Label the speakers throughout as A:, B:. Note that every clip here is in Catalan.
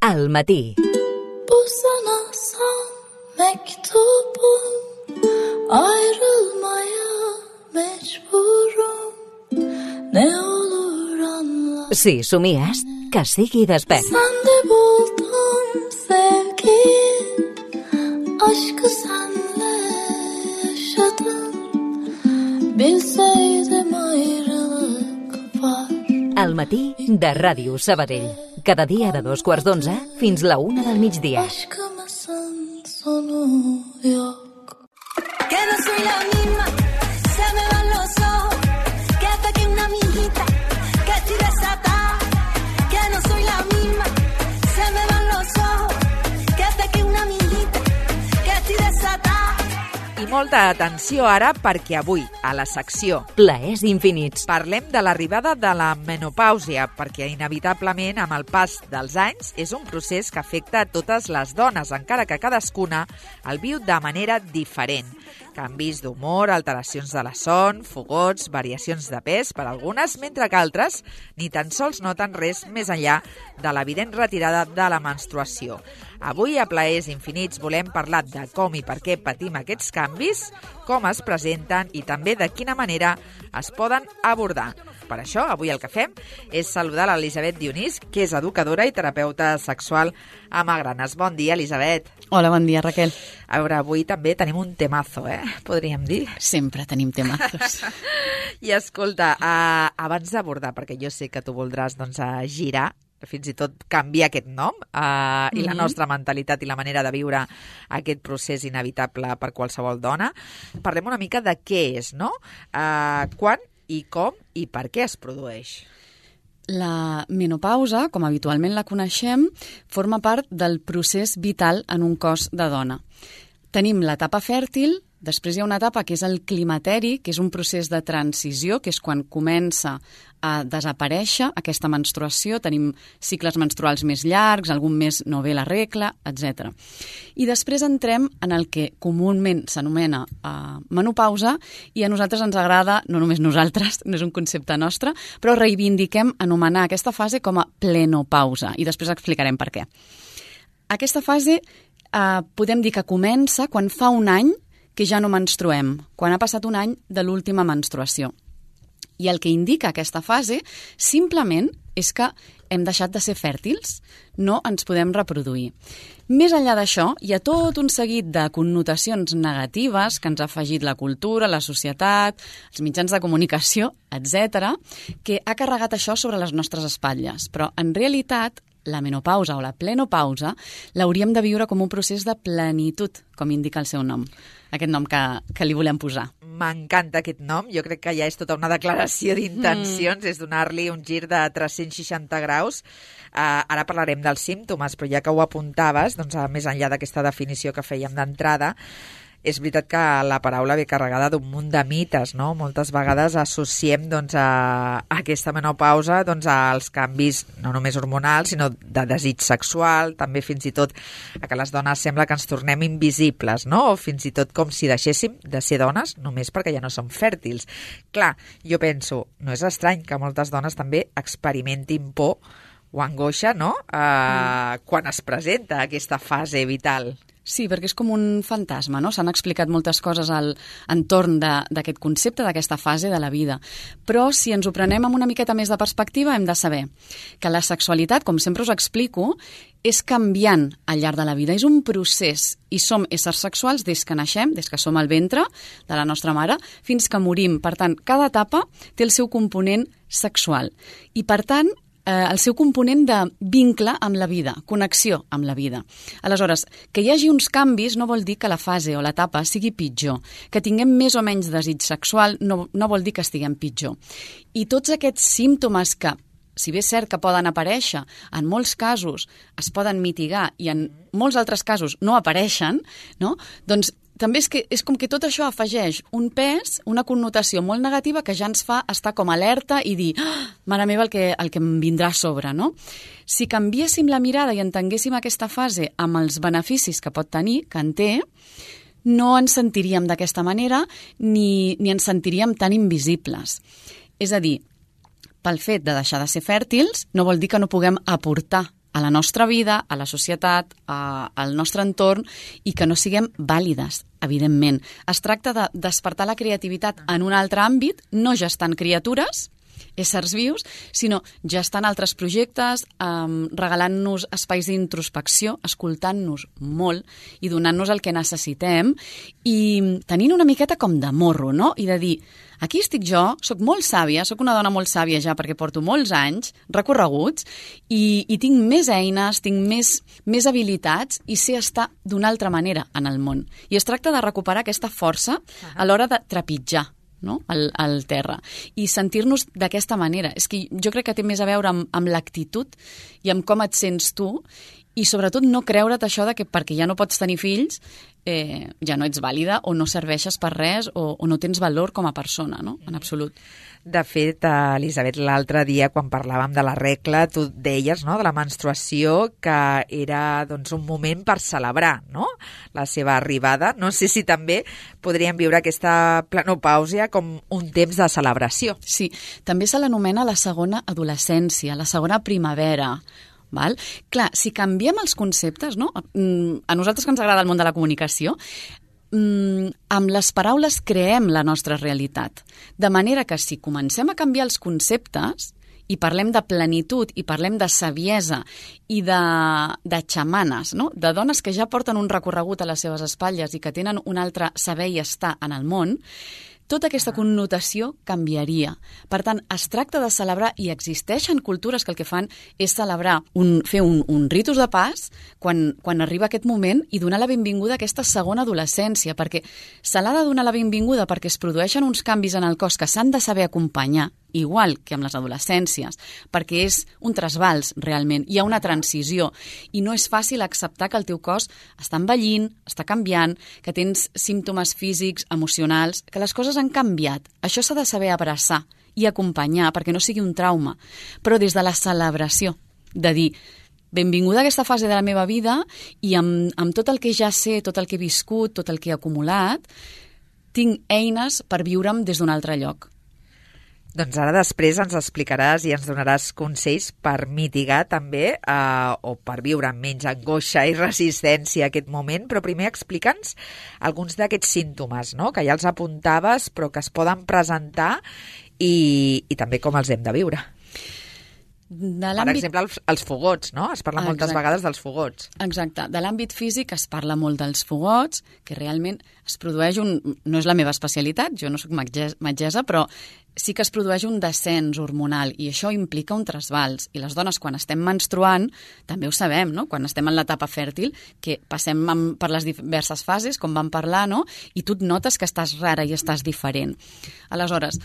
A: al matí.
B: Bu sana son mektubum, ayrılmaya mecburum, ne olur anla.
A: Si somies, que sigui despert.
B: Sende buldum sevgiyi, aşkı senle yaşadım, bilseydim ayrılık var.
A: Al matí de Ràdio Sabadell. Cada dia de 2:15 fins la 1 del migdia.
B: Aşkımızın sonu yok.
C: Que no soy la misma, se me van los ojos, que hasta que una amiguita, que estoy desatada. Que no soy la misma, se me van los ojos, que hasta que una amiguita, que estoy desatada.
D: I molta atenció ara perquè avui, a la secció
A: Plaers infinits.
D: parlem de l'arribada de la menopàusia, perquè inevitablement amb el pas dels anys és un procés que afecta a totes les dones, encara que cadascuna el viu de manera diferent. Canvis d'humor, alteracions de la son, fogots, variacions de pes per algunes, mentre que altres ni tan sols noten res més enllà de l'evident retirada de la menstruació. Avui, a Plaers Infinits, volem parlar de com i per què patim aquests canvis, com es presenten i també de quina manera es poden abordar. Per això, avui el que fem és saludar l'Elisabet Dionís, que és educadora i terapeuta sexual a Magranes. Bon dia, Elisabet.
E: Hola, bon dia, Raquel.
D: A veure, avui també tenim un temazo, podríem dir.
E: Sempre tenim temazos.
D: I escolta, abans d'abordar, perquè jo sé que tu voldràs girar, fins i tot canviar aquest nom i la nostra mentalitat i la manera de viure aquest procés inevitable per qualsevol dona, parlem una mica de què és, no? Quan i com i per què es produeix?
E: La menopausa, com habitualment la coneixem, forma part del procés vital en un cos de dona. Tenim l'etapa fèrtil, després hi ha una etapa que és el climateri, que és un procés de transició, que és quan comença a desaparèixer aquesta menstruació, tenim cicles menstruals més llargs, algun mes no ve la regla, etc. I després entrem en el que comúment s'anomena menopausa i a nosaltres ens agrada, no només nosaltres, no és un concepte nostre, però reivindiquem anomenar aquesta fase com a plenopausa i després explicarem per què. Aquesta fase podem dir que comença quan fa un any que ja no menstruem, quan ha passat un any de l'última menstruació. I el que indica aquesta fase simplement és que hem deixat de ser fèrtils, no ens podem reproduir. Més enllà d'això, hi ha tot un seguit de connotacions negatives que ens ha afegit la cultura, la societat, els mitjans de comunicació, etc., que ha carregat això sobre les nostres espatlles. Però, en realitat, la menopausa o la plenopausa l'hauríem de viure com un procés de plenitud, com indica el seu nom, aquest nom que li volem posar.
D: M'encanta aquest nom, jo crec que ja és tota una declaració d'intencions, és donar-li un gir de 360 graus. Ara parlarem dels símptomes, però ja que ho apuntaves, més enllà d'aquesta definició que fèiem d'entrada, és veritat que la paraula ve carregada d'un munt de mites, no? Moltes vegades associem a aquesta menopausa als canvis no només hormonals, sinó de desig sexual, també fins i tot que les dones sembla que ens tornem invisibles, no? O fins i tot com si deixéssim de ser dones només perquè ja no som fèrtils. Clar, jo penso, no és estrany que moltes dones també experimentin por o angoixa, no? Quan es presenta aquesta fase vital.
E: Sí, perquè és com un fantasma, no? S'han explicat moltes coses al entorn d'aquest concepte, d'aquesta fase de la vida. Però si ens ho prenem amb una miqueta més de perspectiva, hem de saber que la sexualitat, com sempre us explico, és canviant al llarg de la vida. És un procés i som éssers sexuals des que naixem, des que som al ventre de la nostra mare, fins que morim. Per tant, cada etapa té el seu component sexual. I, per tant, el seu component de vincle amb la vida, connexió amb la vida. Aleshores, que hi hagi uns canvis no vol dir que la fase o l'etapa sigui pitjor. Que tinguem més o menys desig sexual no vol dir que estiguem pitjor. I tots aquests símptomes que, si bé és cert que poden aparèixer, en molts casos es poden mitigar i en molts altres casos no apareixen, no? Doncs també és com que tot això afegeix un pes, una connotació molt negativa que ja ens fa estar com alerta i dir mare meva el que em vindrà a sobre, no? Si canviéssim la mirada i entenguéssim aquesta fase amb els beneficis que pot tenir, que en té, no ens sentiríem d'aquesta manera ni ens sentiríem tan invisibles. És a dir, pel fet de deixar de ser fèrtils no vol dir que no puguem aportar a la nostra vida, a la societat, al nostre entorn, i que no siguem vàlides, evidentment. Es tracta de despertar la creativitat en un altre àmbit, no gestant criatures, éssers vius, sinó gestant altres projectes, regalant-nos espais d'introspecció, escoltant-nos molt i donant-nos el que necessitem i tenint una miqueta com de morro, no? I de dir, aquí estic jo, sóc molt sàvia, sóc una dona molt sàvia ja perquè porto molts anys recorreguts i tinc més eines, tinc més habilitats i sé estar d'una altra manera en el món. I es tracta de recuperar aquesta força a l'hora de trepitjar, no? al terra i sentir-nos d'aquesta manera. És que jo crec que té més a veure amb l'actitud i amb com et sents tu i sobretot no creure't això de que perquè ja no pots tenir fills ja no ets vàlida o no serveixes per res o no tens valor com a persona, no? En absolut.
D: De fet, Elisabet, l'altre dia quan parlàvem de la regla, tu deies, no?, de la menstruació, que era doncs, un moment per celebrar, no?, la seva arribada. No sé si també podríem viure aquesta plenopàusia com un temps de celebració.
E: Sí, també se l'anomena la segona adolescència, la segona primavera. Val? Clar, si canviem els conceptes, no? A nosaltres que ens agrada el món de la comunicació, amb les paraules creem la nostra realitat. De manera que si comencem a canviar els conceptes i parlem de plenitud i parlem de saviesa i de xamanes, no? De dones que ja porten un recorregut a les seves espatlles i que tenen un altre saber i estar en el món, tota aquesta connotació canviaria. Per tant, es tracta de celebrar, i existeixen cultures que el que fan és celebrar, fer un ritus de pas quan arriba aquest moment i donar la benvinguda a aquesta segona adolescència, perquè se l'ha de donar la benvinguda perquè es produeixen uns canvis en el cos que s'han de saber acompanyar, igual que amb les adolescències, perquè és un trasbals realment, hi ha una transició i no és fàcil acceptar que el teu cos està envellint, està canviant, que tens símptomes físics, emocionals, que les coses han canviat. Això s'ha de saber abraçar i acompanyar perquè no sigui un trauma, però des de la celebració, de dir benvinguda a aquesta fase de la meva vida i amb tot el que ja sé, tot el que he viscut, tot el que he acumulat, tinc eines per viure'm des d'un altre lloc.
D: Doncs ara després ens explicaràs i ens donaràs consells per mitigar també o per viure amb menys angoixa i resistència a aquest moment, però primer explica'ns alguns d'aquests símptomes, no?, que ja els apuntaves però que es poden presentar i també com els hem de viure. Per exemple, els fogots, no? Es parla moltes vegades dels fogots.
E: Exacte. De l'àmbit físic es parla molt dels fogots, que realment es produeix no és la meva especialitat, jo no soc metgessa, però sí que es produeix un descens hormonal i això implica un trasbals. I les dones, quan estem menstruant, també ho sabem, no? Quan estem en l'etapa fèrtil, que passem per les diverses fases, com vam parlar, no? I tu et notes que estàs rara i estàs diferent. Aleshores,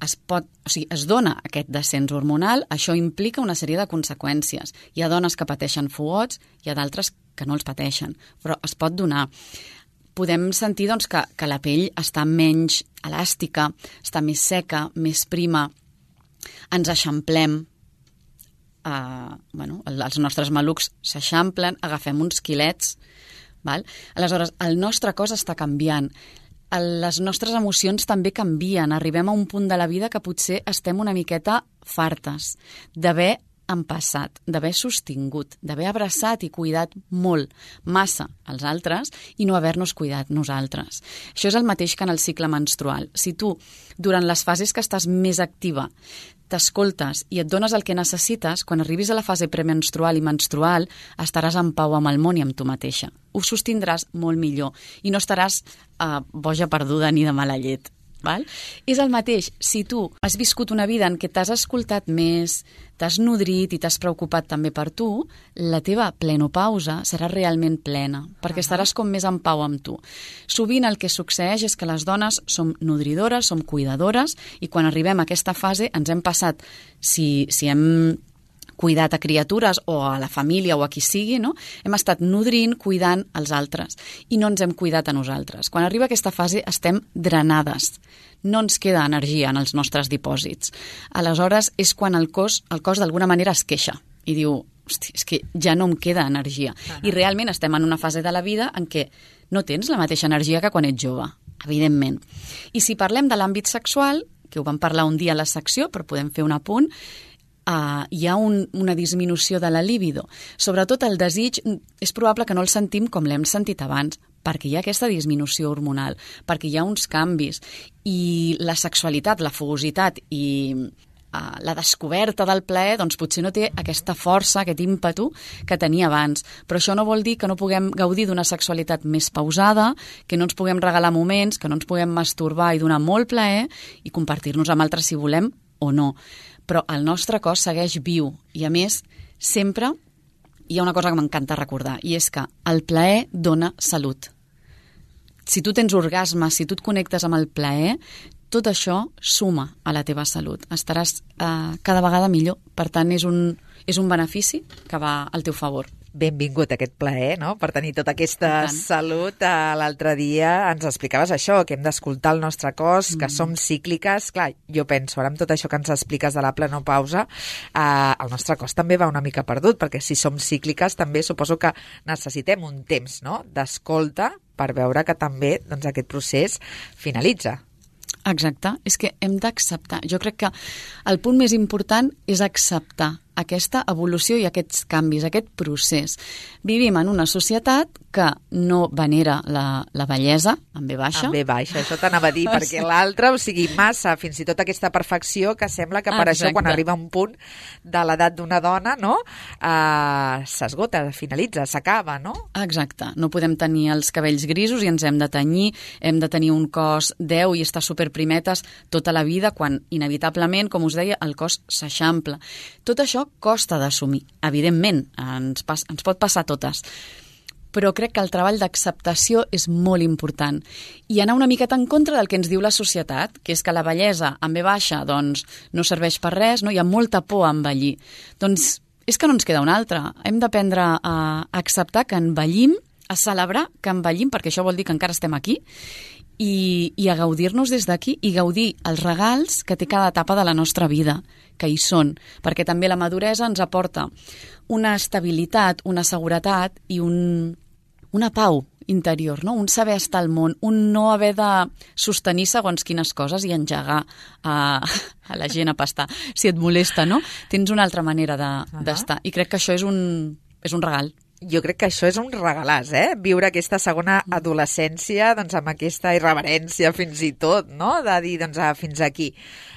E: es dona aquest descens hormonal, això implica una sèrie de conseqüències. Hi ha dones que pateixen fogots, hi ha d'altres que no els pateixen, però es pot donar. Podem sentir doncs, que la pell està menys elàstica, està més seca, més prima, ens eixamplem, els nostres malucs s'eixamplen, agafem uns quilets, val? Aleshores, el nostre cos està canviant. Les nostres emocions també canvien. Arribem a un punt de la vida que potser estem una miqueta fartes d'haver empassat, d'haver sostingut, d'haver abraçat i cuidat molt, massa, els altres i no haver-nos cuidat nosaltres. Això és el mateix que en el cicle menstrual. Si tu, durant les fases que estàs més activa, t'escoltes i et dones el que necessites, quan arribis a la fase premenstrual i menstrual, estaràs en pau amb el món i amb tu mateixa. Ho sostindràs molt millor i no estaràs boja perduda ni de mala llet. Val? És el mateix. Si tu has viscut una vida en què t'has escoltat més, t'has nodrit i t'has preocupat també per tu, la teva plenopausa serà realment plena, perquè estaràs com més en pau amb tu. Sovint el que succeeix és que les dones som nodridores, som cuidadores, i quan arribem a aquesta fase ens hem passat, si hem cuidat a criatures o a la família o a qui sigui, no? Hem estat nodrint, cuidant els altres i no ens hem cuidat a nosaltres. Quan arriba aquesta fase estem drenades, no ens queda energia en els nostres dipòsits. Aleshores és quan el cos d'alguna manera es queixa i diu, hosti, és que ja no em queda energia. I realment estem en una fase de la vida en què no tens la mateixa energia que quan ets jove, evidentment. I si parlem de l'àmbit sexual, que ho vam parlar un dia a la secció, però podem fer un apunt, hi ha una disminució de la libido. Sobretot el desig és probable que no el sentim com l'hem sentit abans, perquè hi ha aquesta disminució hormonal, perquè hi ha uns canvis, i la sexualitat, la fogositat i la descoberta del plaer, doncs potser no té aquesta força, aquest ímpetu que tenia abans. Però això no vol dir que no puguem gaudir d'una sexualitat més pausada, que no ens puguem regalar moments, que no ens puguem masturbar i donar molt plaer i compartir-nos amb altres si volem o no. Però el nostre cos segueix viu i, a més, sempre hi ha una cosa que m'encanta recordar, i és que el plaer dona salut. Si tu tens orgasmes, si tu et connectes amb el plaer, tot això suma a la teva salut. Estaràs cada vegada millor. Per tant, és un benefici que va al teu favor.
D: Benvingut a aquest plaer, no?, per tenir tota aquesta salut. L'altre dia ens explicaves això, que hem d'escoltar el nostre cos, que som cícliques. Clar, jo penso, ara amb tot això que ens expliques de la plenopausa, el nostre cos també va una mica perdut, perquè si som cícliques també suposo que necessitem un temps, no?, d'escolta per veure que també doncs, aquest procés finalitza.
E: Exacte, és que hem d'acceptar. Jo crec que el punt més important és acceptar aquesta evolució i aquests canvis, aquest procés. Vivim en una societat que no venera la bellesa, en ve baixa.
D: En ve baixa, això t'anava a dir, perquè l'altre, o sigui, massa, fins i tot aquesta perfecció que sembla que per això quan arriba un punt de l'edat d'una dona, no?, s'esgota, finalitza, s'acaba, no?
E: Exacte, no podem tenir els cabells grisos i ens hem de tenyir, hem de tenir un cos 10 i estar superprimetes tota la vida, quan inevitablement, com us deia, el cos s'eixampla. Tot això costa d'assumir. Evidentment, ens pot passar a totes. Però crec que el treball d'acceptació és molt important. I anar una miqueta en contra del que ens diu la societat, que és que la bellesa en ve baixa doncs, no serveix per res, no? Hi ha molta por a envellir. Doncs és que no ens queda una altra. Hem d'aprendre a acceptar que envellim, a celebrar que envellim, perquè això vol dir que encara estem aquí, i a gaudir-nos des d'aquí i gaudir els regals que té cada etapa de la nostra vida, que hi són, perquè també la maduresa ens aporta una estabilitat, una seguretat i una pau interior, no? Un saber estar al món, un no haver de sostenir segons quines coses i engegar a la gent a pastar. Si et molesta, no? Tens una altra manera d'estar. I crec que això és un regal.
D: Jo crec que això és un regalàs, viure aquesta segona adolescència doncs, amb aquesta irreverència fins i tot, no?, de dir doncs, fins aquí.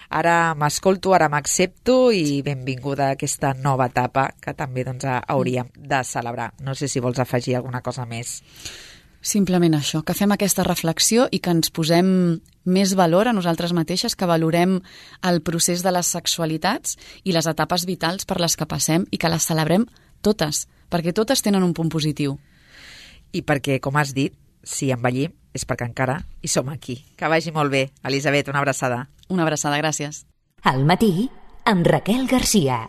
D: Ara m'escolto, ara m'accepto i benvinguda a aquesta nova etapa que també doncs, hauríem de celebrar. No sé si vols afegir alguna cosa més.
E: Simplement això, que fem aquesta reflexió i que ens posem més valor a nosaltres mateixes, que valorem el procés de les sexualitats i les etapes vitals per les que passem i que les celebrem totes, perquè totes tenen un punt positiu.
D: I perquè, com has dit, si envellim és perquè encara hi som aquí. Que vagi molt bé. Elisabet, una abraçada.
E: Una abraçada, gràcies.
A: Al matí, amb Raquel Garcia.